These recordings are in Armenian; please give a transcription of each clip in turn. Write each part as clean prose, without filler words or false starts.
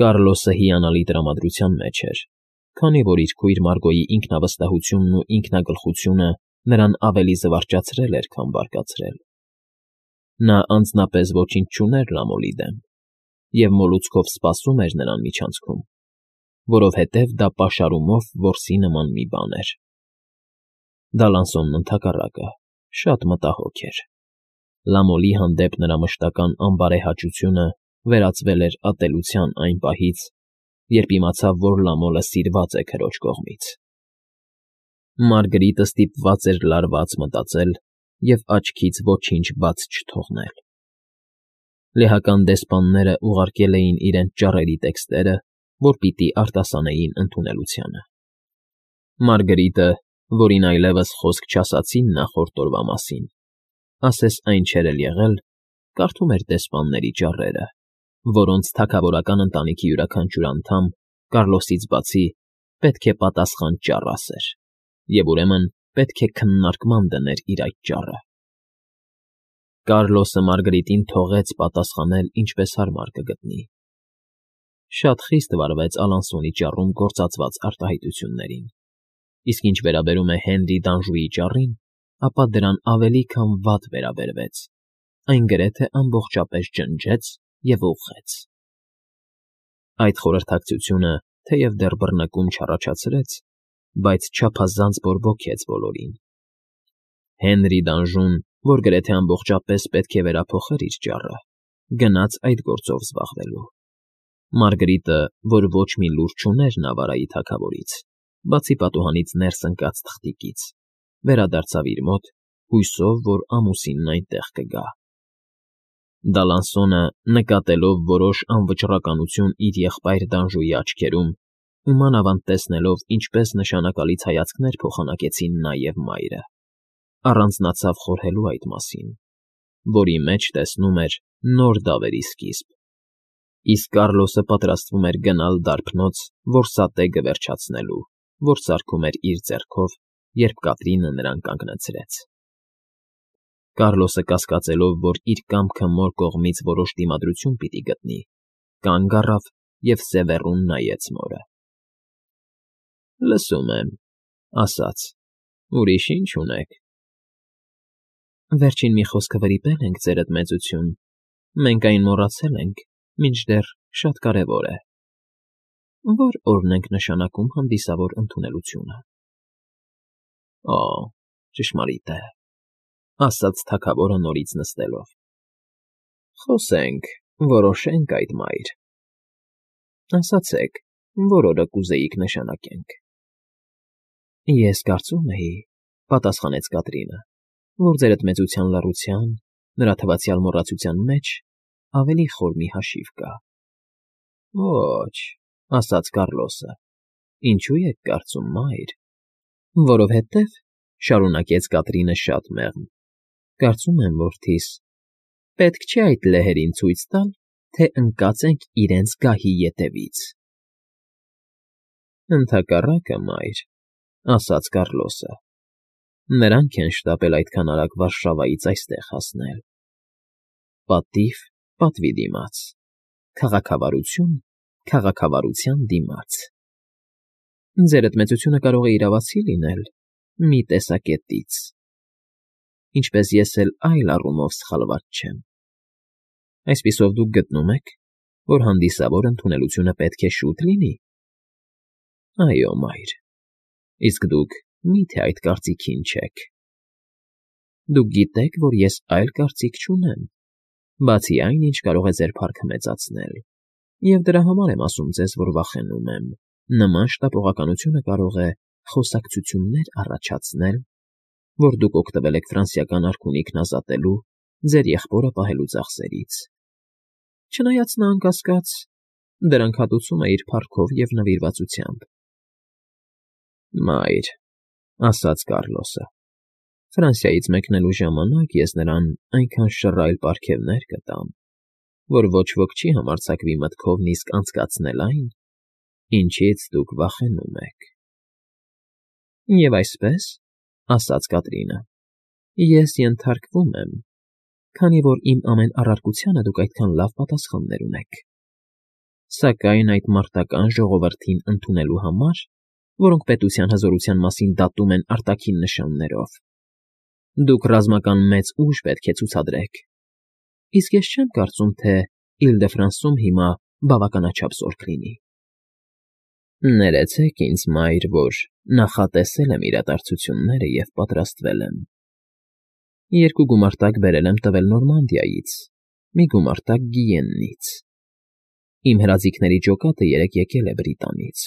Կառլոսը հիանալի տրամադրության մեջ էր, քանի որ իր քույր Մարգոյի ինքնավստահությունն ու ինքնագլխությունը նրան ավելի զվարճացրել էր, քան բարկացրել։ Նա անձնապես ոչինչ չուներ Լամոլի դեմ և մոլուցքով սպասում էր նրան միջանցքում, որովհետև դա պաշարումով որսի նման մի բան էր։ Դալանսոնն ընդհակառակը շատ մտահոգ էր։ Լամոլի հանդեպ նրա մշտական անբարեհաճությունը վերածվել էր ատելության այն պահից, երբ իմացավ, որ Լամոլը սիրված է քրոջ կողմից։ Մարգրիտը ստիպված էր լարված մտածել և աչքից ոչինչ բաց չթողնել։ Լեհական դեսպանները ուղարկել էին իրենց ճառերի տեքստերը, որ պիտի արտասանեին ընդունելությանը։ Մարգրիտը, որին այլևս խոսք չասացին նախորդ օրվա մասին, ասես այն չէր էլ եղել, կարդում էր դեսպանների ճառերը, որոնց թագավորական ընտանիքի յուրաքանչյուր անդամ, Կառլոսից բացի, պետք է պատասխան ճառ ասեր, և ուրեմն պետք է քննարկման դներ իր այդ ճառը։ Կառլոսը Մարգրիտին թողեց պատասխանել ինչպես հարմար կգտնի։ Շատ խիստ վարվեց Ալանսոնի ճառում գործածված արտահայտություններին, իսկ ինչ վերաբերում է Հենրի Դանժուի ճառին, ապա դրան ավելի քան վատ վերաբերվեց, այն գրեթե ամբողջապես ջնջեց և ուղղեց։ Այդ խորհրդակցությունը, թեև դեռ բռնկում չառաջացրեց, բայց չափազանց բորբոքեց բոլորին։ Հենրի Դանժուն, որ գրեթե ամբողջապես պետք է վերափոխեր իր ճառը, գնաց այդ գործով զբաղվելու։ Մարգրիտը, որ ոչ մի լուր չուներ Նավարայի թագավորից, բացի պատուհանից ներս ընկած թղթիկից, վերադարձավ իր մոտ, հույսով, որ ամուսինն այնտեղ կգա։ Դալանսոնը, նկատելով որոշ անվճռականություն իր եղբայր Դանժուի աչքերում ու մանավանդ տեսնելով, ինչպես նշանակալից հայացքներ փոխանակեցին նա և մայրը, առանձնացավ խորհելու այդ մասին, որի մեջ տեսնում էր նոր դավերի սկիզբ, իսկ Կառլոսը պատրաստվում էր գնալ դարբնոց որսատեգը վերջացնելու, որ սարքում էր իր ձեռքով, երբ Կատրինը նրան կանգնացրեց։ Կառլոսը կասկածելով, որ իր կամքը մոր կողմից որոշ դիմադրություն պիտի գտնի, կանգ առավ և սևեռուն նայեց մորը։ ֊ Լսում եմ,֊ ասաց,֊ ուրիշ ի՞նչ ունեք։ ֊ Վերջին մի խոսքը վրիպել ենք, ձերդ մեծություն, մենք այն մոռացել ենք, մինչդեռ շատ կարևոր է։ Ո՞ր օրն ենք նշանակում հանդիսավոր ընդունելությունը։ ֊ Օ, ճշմարիտ է,֊ ասաց թագավորը նորից նստելով։ ֊ Խոսենք, որոշենք այդ, մայր։ ֊ Ասացեք, որ օրը կուզեիք նշանակենք։ ֊ Ես կարծում էի,֊ պատասխանեց Կատրինը,֊ որ ձերդ մեծության լռության, նրա թվացյալ մոռացության մեջ ավելի խոր մի հաշիվ կա։ ֊ Ոչ,֊ ասաց Կառլոսը,֊ ինչո՞ւ եք կարծում, մայր։ ֊ Որովհետև,֊ շարունակեց Կատրինը շատ մեղմ,֊ կարծում եմ, որդիս, պետք չէ այդ լեհերին ցույց տալ, թե ընկած ենք իրենց գահի ետևից։ ֊ Ընդհակառակը, մայր,֊ ասաց Կառլոսը,֊ նրանք են շտապել այդքան արագ Վարշավայից այստեղ հասնել։ Պատիվ պատվի դիմաց, քաղաքավարություն քաղաքավարության դիմաց։ Ձերդ մեծությունը կարող է իրավացի լինել մի տեսակետից, ինչպես ես էլ այլ առումով սխալված չեմ։ Այսպիսով դուք գտնում եք, որ հանդիսավոր ընդունելությունը պետք է շուտ լինի։ ֊ Այո, մայր, իսկ դուք մի՞թե այդ կարծիքին չեք։ ֊ Դուք գիտեք, որ ես այլ կարծիք չունեմ, բացի այն, ինչ կարող է ձեր փառքը մեծացնել, և դրա համար եմ ասում ձեզ, որ վախենում եմ. նման շտապողականությունը կարող է խոսակցություններ առաջացնել, որ դուք օգտվել եք ֆրանսիական արքունիքն ազատելու, ձեր եղբորը պահելու ծախսերից, չնայած նա, անկասկած, դրանք հատուցում է իր փառքով և նվիրվածությամբ։ ֊ Մայր,֊ ասաց Կառլոսը,֊ Ֆրանսիայից մեկնելու ժամանակ ես նրան այնքան շռայլ պարգևներ կտամ, որ ոչ ոք չի համարձակվի մտքով նիսկ անցկացնել այն, ինչից դուք վախենում եք։ ֊ Եվ այսպես,֊ ասաց Կատրինը,֊ ես ենթարկվում եմ, քանի որ իմ ամեն առարկությանը դուք այդքան լավ պատասխաններ ունեք։ Սակայն այդ մարտական ժողովրդին ընդունելու համար, որոնք պետության հզորության մասին դատում են արտաքին նշաններով, դուք ռազմական մեծ ուժ պետք է ցուցադրեք, իսկ ես չեմ կարծում, թե Իլ֊դե֊Ֆրանսում հիմա բավականաչափ զորք լինի։ Ներեցեք ինձ, մայր, որ նախատեսել եմ իրադարձությունները և պատրաստվել եմ։ 2 գումարտակ բերել եմ տվել Նորմանդիայից, մի գումարտակ Գիեննից։ Իմ հրաձիգների ջոկատը երեկ եկել է Բրիտանից։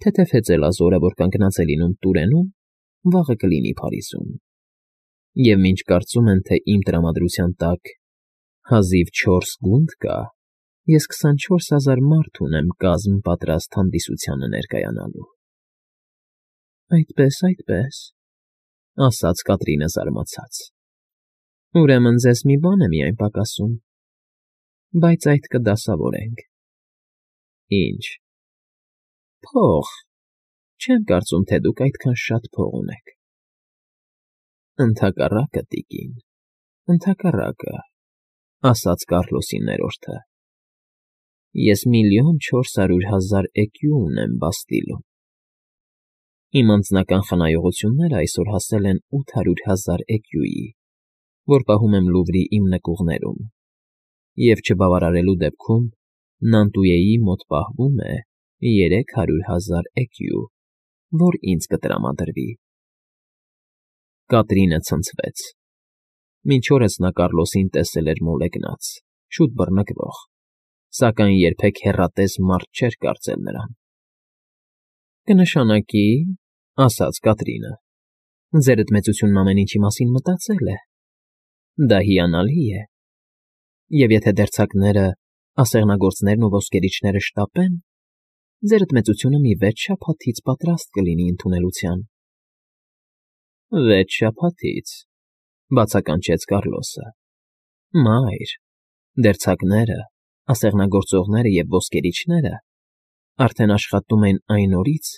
Թեթև հեծելազորը, որ կանգնած է լինում Տուրենում, վաղը կլինի Փարիզում։ Եվ մինչ կարծում են, թե իմ տրամադրության տակ հազիվ 4 գունդ կա, ես 24,000 մարդ ունեմ կազմ պատրաստ հանդիսությանը ներկայանալու։ Այդպես, ասաց Կատրինը զարմացած։ Ուրեմն ձեզ մի բան է միայն պակասում, բայց այդ կդասավորենք։ Ինչ։ Փող։ Չեմ կարծում, թե դուք այդքան շատ փող ունեք։ Ընդհակառակը, տիկին, ընդհակառակը, ասաց Կառլոսի ներորդը։ Ես 1,400,000 էկյու ունեմ Բաստիլում։ Իմ անձնական խնայողությունները այսօր հասել են 800,000 էկյուի, որ պահում եմ Լուվրի իմ նկուղներում, և չբավարարելու դեպքում Նանտուեի մոտ պահվում է 300,000 էկյու, որ ինձ կտրամադրվի։ Կատրինը ցնցվեց։ Մինչ օրս նա Կառլոսին տեսել էր մոլեգնած, շուտ բռնկվող, սակայն երբեք հեռատես մարդ չէր կարծել նրան։ Կնշանակի, ասաց Կատրինը, ձերդ մեծությունն ամեն ինչի մասին մտածել է։ Դա հիանալի է։ Եվ եթե դերձակները, ասեղնագործներն ու ոսկերիչները շտապեն, ձերդ մեծությունը մի 6 շաբաթից պատրաստ կլինի ընդունելության։ 6 շաբաթից, բացականչեց Կառլոսը։ Մայր, դերձակները, ասեղնագործողները և ոսկերիչները արդեն աշխատում են այն օրից,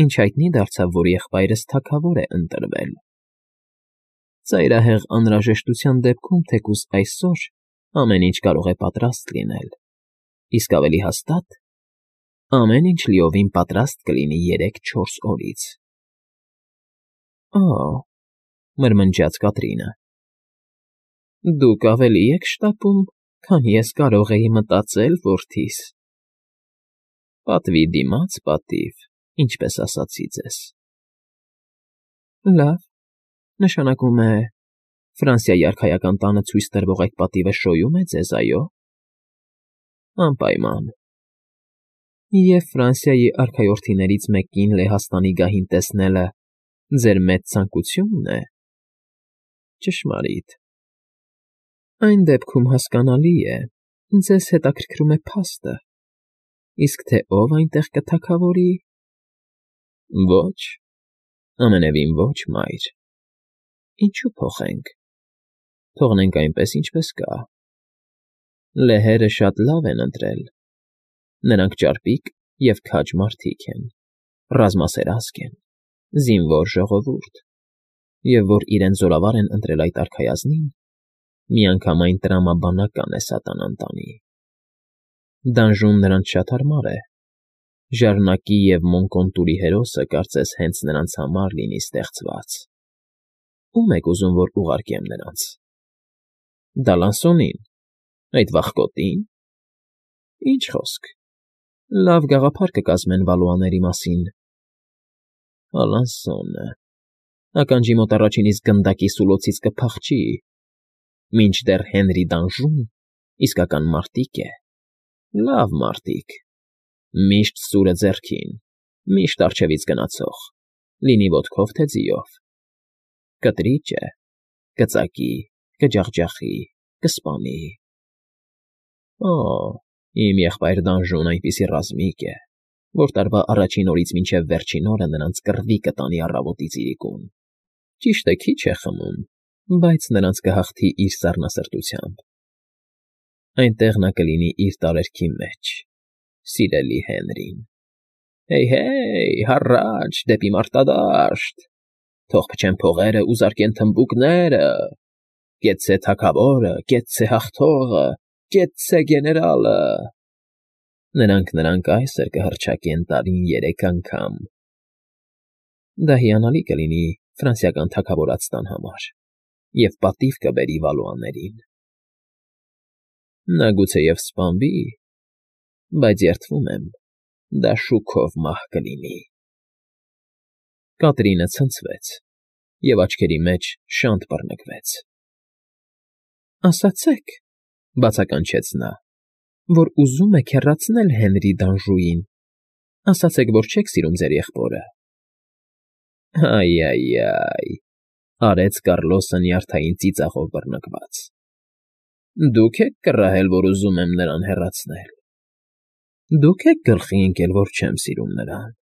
ինչ հայտնի դարձավ, որ եղբայրս թագավոր է ընտրվել։ Ծայրահեղ անհրաժեշտության դեպքում թեկուզ այսօր ամեն ինչ կարող է պատրաստ լինել, իսկ ավելի հաստատ, ամեն ինչ լիովին պատրաստ կլինի 3-4 օրից։ Օ՜, մրմնջաց Կատրինը։ Դուք ավելի եք շտապում, քան ես կարող էի մտածել, որդիս։ Պատվի դիմաց պատիվ, ինչպես ասացի ձեզ։ Լավ, նշանակում է, Ֆրանսիայի արքայական տանը ցույց տրվող այդ պատիվը շոյում է ձեզ, այո։ Անպայման։ Եվ Ֆրանսիայի արքայորդիներից մեկին Լեհաստանի գահին տեսնելը ձեր մեծ ցանկությունն է։ Ճշմարիտ։ Այն դեպքում հասկանալի է, ձեզ հետաքրքրում է փաստը, իսկ թե ով այնտեղ կթագավորի։ Ոչ, ամենևին ոչ, մայր։ Ինչու փոխենք։ Թողնենք այնպես, ինչպես կա։ Լեհերը շատ լավ են ընտրել։ Նրանք ճարպիկ և քաջ մարդիկ են, ռազմասերազգ են, զինվոր ժողովուրդ, և որ իրենց զորավար են ընտրել այդ արքայազնին, միանգամայն տրամաբանական է սատանան տանի։ Դանժուն նրանց շատ հարմար է։ Ժառնակի և Մոնկոնտուրի հերոսը կարծես հենց նրանց համար լինի ստեղծված։ Ո՞ւմ եք ուզում, որ ուղարկեմ նրանց։ Դալանսոնին, այդ վախկոտի՞ն։ Ինչ խոսք, լավ գաղափար կկազմեն Վալուաների մասին։ Ալանսոնը, ականջի մոտ առաջին իսկ գնդակի սուլոցից կփախչի, մինչդեռ Հենրի Դանժուն իսկական մարտիկ է, լավ մարտիկ, միշտ սուրը ձեռքին, միշտ առջևից գնացող, լինի ոտքով, թե ձիով։ Կտրիճ է, կծակի, կջախջախի, կսպանի։ Օ, իմ եղբայր Դանժուն այնպիսի ռազմիկ է, որ տարվա առաջին օրից մինչև վերջին օրը նրանց կռվի կտանի առավոտից իրիկուն։ Ճիշտ է, քիչ է խմում, բայց նրանց կհաղթի իր սառնասրտությամբ։ Այնտեղ նա կլինի իր տարերքի մեջ, սիրելի Հենրին։ Հեյ, հառաչ, դեպի մարտադաշտ, թող փչեն փողերը ու զարկեն թմբուկները, կեցցե թագավորը, կեցցե հաղթողը, կեցցե գեներալը։ Նրանք այսօր կհռչակեն տարին 3 անգամ։ Դա հիանալի կլինի ֆրանսիական թագավորածտան համար և պատիվ կբերի Վալուաներին։ Նա գուցեև սպանվի, բայց երդվում եմ, դա շուքով մահ կլինի։ Կատրինը ցնցվեց և աչքերի մեջ շանթ բռնկվեց։ Ասացեք, բացականչեց նա, որ ուզում եք հեռացնել Հենրի Դանժուին, ասացեք, որ չեք սիրում ձեր եղբորը։ Այ, արեց Կառլոսը նյարդային ծիծաղով բռնկված։ Դուք եք կռահել, որ ուզում եմ նրան հեռացնել։ Դուք եք գլխի ընկել, որ չեմ սիրում նրան։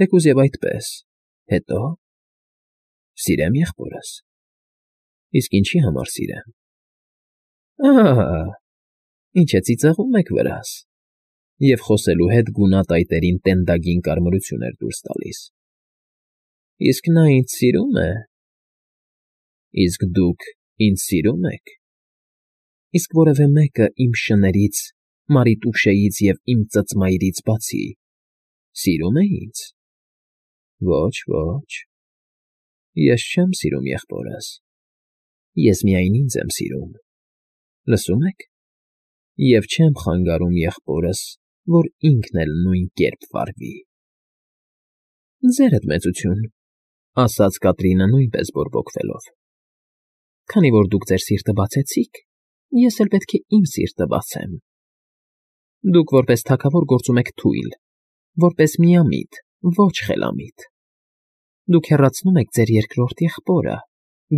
Թեկուզ և այդպես, հետո… Սիրեմ եղբորս։ Իսկ ինչի համար սիրեմ։ Ինչ է ծիծաղում եք վրաս, և խոսելու հետ գունատայտերին տենդագին կարմրություն էր դուրս տալիս։ Իսկ նա ինձ սիրում է։ Իսկ դուք ինձ սիրում եք։ Իսկ որևէ մեկը իմ շներից, Մարիտուշեից և իմ ծծմայրից բացի սիրում է ինձ։ Ոչ, ես չեմ սիրում եղբորս։ Ես միայն ինձ եմ սիրում, լսում եք, և չեմ խանգարում եղբորս, որ ինքն էլ նույն կերպ վարվի։ Ձերդ մեծություն, ասաց Կատրինը նույնպես բորբոքվելով։ Քանի որ դուք ձեր սիրտը բացեցիք, ես էլ պետք է իմ սիրտը բացեմ։ Դուք որպես թագավոր գործում եք թույլ, որպես միամիտ, ոչ խելամիտ։ Դուք հեռացնում եք ձեր երկրորդ եղբորը,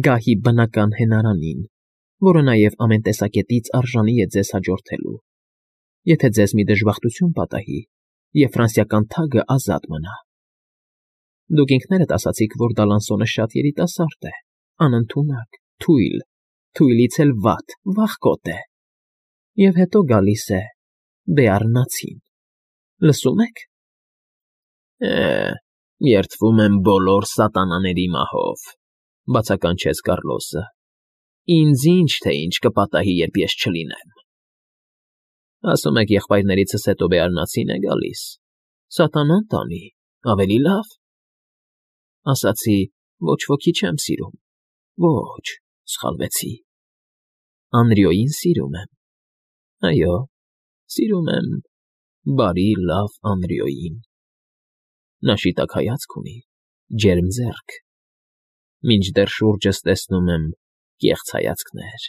գահի բնական հենարանին, որը նաև ամեն տեսակետից արժանի է ձեզ հաջորդելու, եթե ձեզ մի դժբախտություն պատահի, և ֆրանսիական թագը ազատ մնա։ Դուք ինքներդ ասացիք, որ Դալանսոնը շատ երիտասարդ է, անընդունակ, թույլ, թույլից էլ վատ, վախկոտ է։ Եվ հետո գալիս է Բեառնացին։ Լսում եք։ Երդվում եմ բոլոր սատանաների մահով, բացականչեց Կառլոսը։ Ինձ ինչ թե ինչ կպատահի, երբ ես չլինեմ։ Ասում եք եղբայրներիցս հետո Բեառնացին է գալիս։ Սատանան տանի, ավելի լավ։ Ասացի, ոչ ոքի չեմ սիրում։ Ոչ, սխալվեցի։ Անրիոյին սիրում եմ։ Այո, սիրում եմ բարի, լավ Անրիոյին։ Նա շիտակ հայացք ունի, ջերմ ձեռք։ Մինչդեռ շուրջս տեսնում եմ կեղծ հայացքներ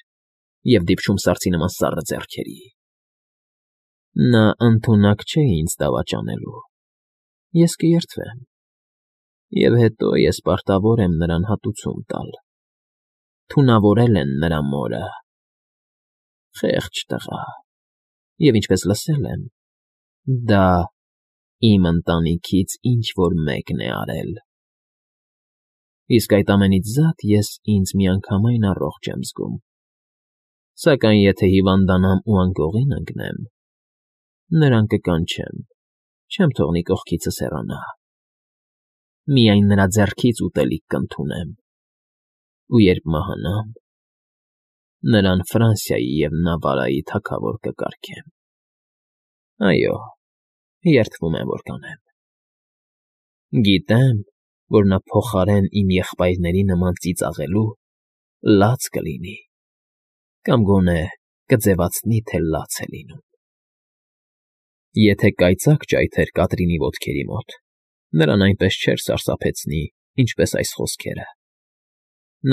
և դիպչում սարսի նման սառը ձեռքերի։ Նա ընդունակ չէ ինձ դավաճանելու։ Ես կերդվեմ։ Եվ հետո ես պարտավոր եմ նրան հատուցում տալ։ Թունավորել են նրա մորը։ Խեղճ տղա։ Եվ ինչպես լսել եմ, դա իմ ընտանիքից ինչ֊որ մեկն է արել։ Իսկ այդ ամենից զատ ես ինձ միանգամայն առողջ եմ զգում։ Սակայն եթե հիվանդանամ ու անկողին ընկնեմ, նրան կկանչեմ, չեմ թողնի կողքիցս հեռանա։ Միայն նրա ձեռքից ուտելիք կընդունեմ։ Ու երբ մահանամ, նրան Ֆրանսիայի և Նավարայի թագավոր կկարգեմ։ Այո, երդվում եմ, որ կանեմ։ Գիտեմ, որ նա փոխարեն իմ եղբայրների նման ծիծաղելու լաց կլինի, կամ գոնե կձևացնի, թե լաց է լինում։ Եթե կայծակ ճայթեր Կատրինի ոտքերի մոտ, նրան այնպես չէր սարսափեցնի, ինչպես այս խոսքերը։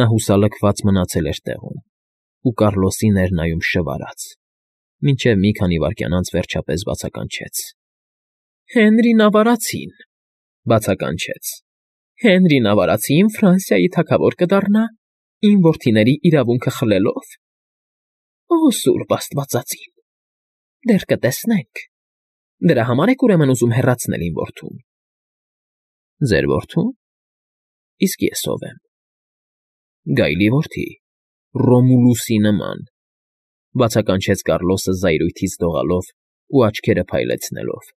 Նա հուսալքված մնացել էր տեղում ու Կառլոսին էր նայում շվարած, մինչև մի քանի վայրկյան անց վերջապես բացականչեց։ Հենրի Նավարացին, բացականչեց։ Հենրի Նավարացին Ֆրանսիայի թագավոր կդառնա, իմ որդիների իրավունքը խլելով։ Օ, սուրբ աստվածածին, դեռ կտեսնենք։ Դրա համար եք ուրեմն ուզում հեռացնել իմ որդուն։ Ձեր որդո՞ւն։ Իսկ ես ով եմ։ Գայլի որդի, Ռոմուլուսի նման, բացականչեց Կառլոսը զայրույթից դողալով ու աչքերը փայլեցնելով,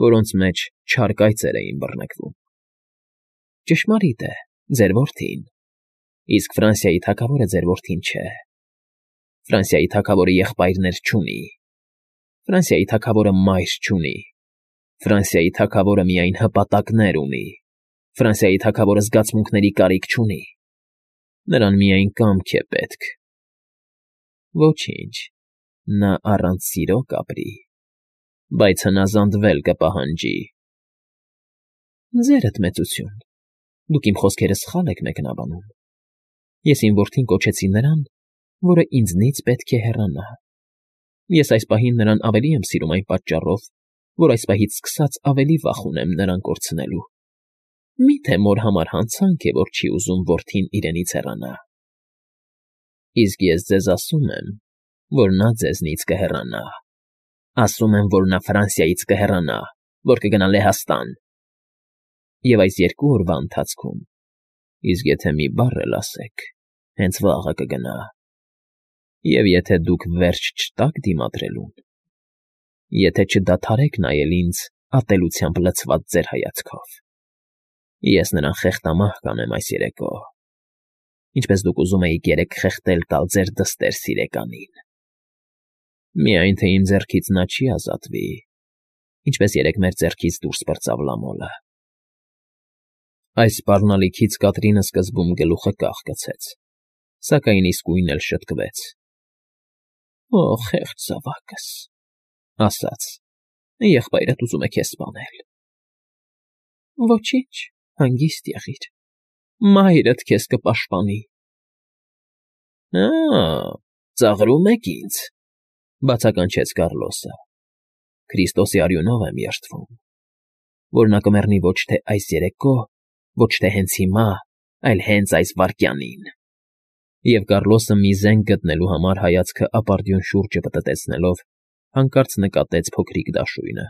որոնց մեջ չար կայծեր էին բռնկվում։ Ճշմարիտ է, ձեր որդին, իսկ Ֆրանսիայի թագավորը ձեր որդին չէ։ Ֆրանսիայի թագավորը եղբայրներ չունի։ Ֆրանսիայի թագավորը մայր չունի։ Ֆրանսիայի թագավորը միայն հպատակներ ունի։ Ֆրանսիայի թագավորը զգացմունքների կարիք չունի։ Նրան միայն կամք է պետք։ Ոչինչ, նա առանց սիրո կապրի, բայց հնազանդվել կպահանջի։ Ձերդ մեծություն, դուք իմ խոսքերը սխալ եք մեկնաբանում։ Ես իմ որդին կոչեցի նրան, որը ինձնից պետք է հեռանա։ Ես այս պահին նրան ավելի եմ սիրում այն պատճառով, որ այս պահից սկսած ավելի վախ ունեմ նրան կորցնելու։ Մի՞թե մոր համար հանցանք է, որ չի ուզում որդին իրենից հեռանա։ Իսկ ես ձեզ ասում եմ, որ նա ձեզնից կհեռանա։ Ասում եմ, որ նա Ֆրանսիայից կհեռանա, որ կգնա Լեհաստան։ Եվ այս 2 օրվա ընթացքում, իսկ եթե մի բառ էլ ասեք, հենց վաղը կգնա։ Եվ եթե դուք վերջ չտաք դիմադրելուն, եթե չդադարեք նայել ինձ ատելությամբ լցված ձեր հայացքով, ես նրան խեղդամահ կանեմ այս երեկո, ինչպես դուք ուզում էիք երեկ խեղդել տալ ձեր դստեր սիրեկանին։ Միայն թե իմ ձեռքից նա չի ազատվի, ինչպես երեկ մեր ձեռքից դուրս պրծավ լամոլը։ Այս սպառնալիքից Կատրինը սկզբում գլուխը կախկացեց, սակայն իսկույն էլ շտկվեց։ Օ, խեղճ զավակս, ասաց, եղբայրդ ուզում է քեզ սպանել։ Ոչինչ, հանգիստ եղիր, մայրդ քեզ կպաշտպանի։ Ծաղրում եք ինձ, բացականչեց Կառլոսը։ Քրիստոսի արյունով եմ երդվում, որ նա կմեռնի ոչ թե այս երեկո, ոչ թե հենց հիմա, այլ հենց այս վայրկյանին։ Եվ Կառլոսը մի զենք գտնելու համար հայացքը ապարդյուն շուրջը պտտեցնելով, հանկարծ նկատեց փոքրիկ դաշույնը,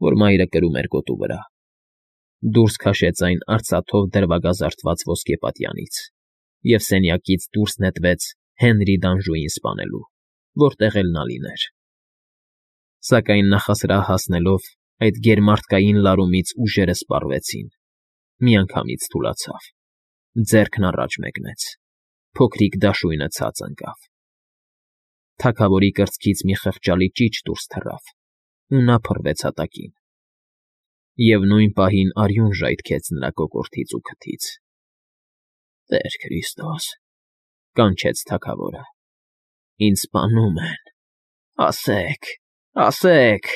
որ մայրը կրում էր գոտու վրա։ Դուրս քաշեց այն արծաթով դրվագազարդված ոսկեպատյանից և սենյակից դուրս նետվեց Հենրի Դանժուին սպանելու, որտեղ էլ նա լիներ։ Սակայն նախասրահ հասնելով, այդ գերմարդկային լարումից ուժերը սպառվեցին, միանգամից թուլացավ, ձեռքն առաջ մեկնեց, փոքրիկ դաշույնը ցած ընկավ։ Թագավորի կրծքից մի խղճալի ճիչ դուրս թռավ, ու նա փռվեց հատակին։ Եվ նույն պահին արյուն ժայթքեց նրա կոկորդից ու քթից։ Տեր Քրիստոս, կանչեց թագավորը, ինձ սպանում են, ասեք, ասեք։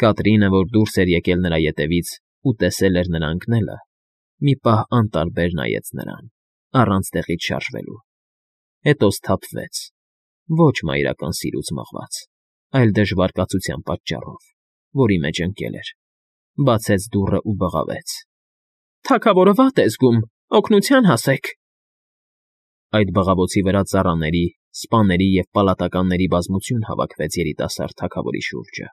Կատրինը, որ դուրս էր եկել նրա ետևից ու տեսել էր նրա ընկնելը, մի պահ անտարբեր նայեց նրան, առանց տեղից շարժվելու։ Հետո սթափվեց, ոչ մայրական սիրուց մղված, այլ դժվար կացության պատճառով, որի մեջ ընկել էր, բացեց դուռը ու բղավեց. Թագավորը վատ է զգում, օգնության հասեք։ Այդ բղավոցի վրա ծառաների, սպաների և պալատականների բազմություն հավաքվեց երիտասարդ թագավորի շուրջը։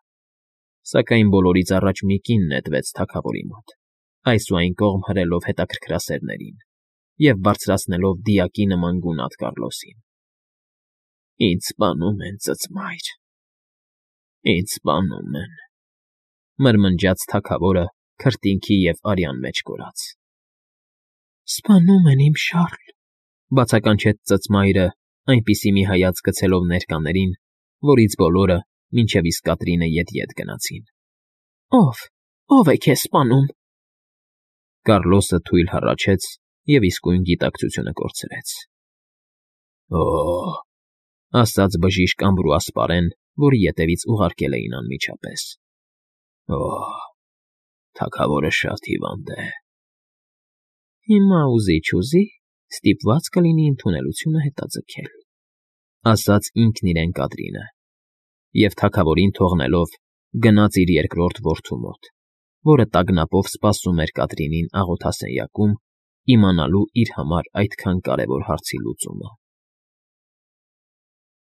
Սակայն բոլորից առաջ մի կին նետվեց թագավորի մոտ, այս ու այն կողմ հրելով հետաքրքրասերներին և բարձրացնելով դիակի նման գունատ Կառլոսին։ Ինձ սպանում են, ծծմայր, ինձ սպանում են, մրմնջաց թագավորը քրտինքի և արյան մեջ կորած։ Սպանում են, իմ Շառլ, բացականչեց ծծմայրը, այնպիսի մի հայացք գցելով ներկաներին, որից բոլորը, մինչև իսկ Կատրինը ետ գնացին։ Ո՞վ է քեզ սպանում։ Կառլոսը թույլ հառաչեց և իսկույն գիտակցությունը կորցրեց։ Ասաց բժիշկ ամբրուասպարեն, որի ետևից ուղարկել էին անմիջապես։ Թագավորը շատ հիվանդ է։ Հիմա ուզի-չուզի ստիպված կլինի ընդունելությունը հետաձգել, ասաց ինքն իրեն Կատրինը, և թագավորին թողնելով գնաց իր երկրորդ որդու մոտ, որը տագնապով սպասում էր Կատրինին աղոթասենյակում, իմանալու իր համար այդքան կարևոր հարցի լուծումը։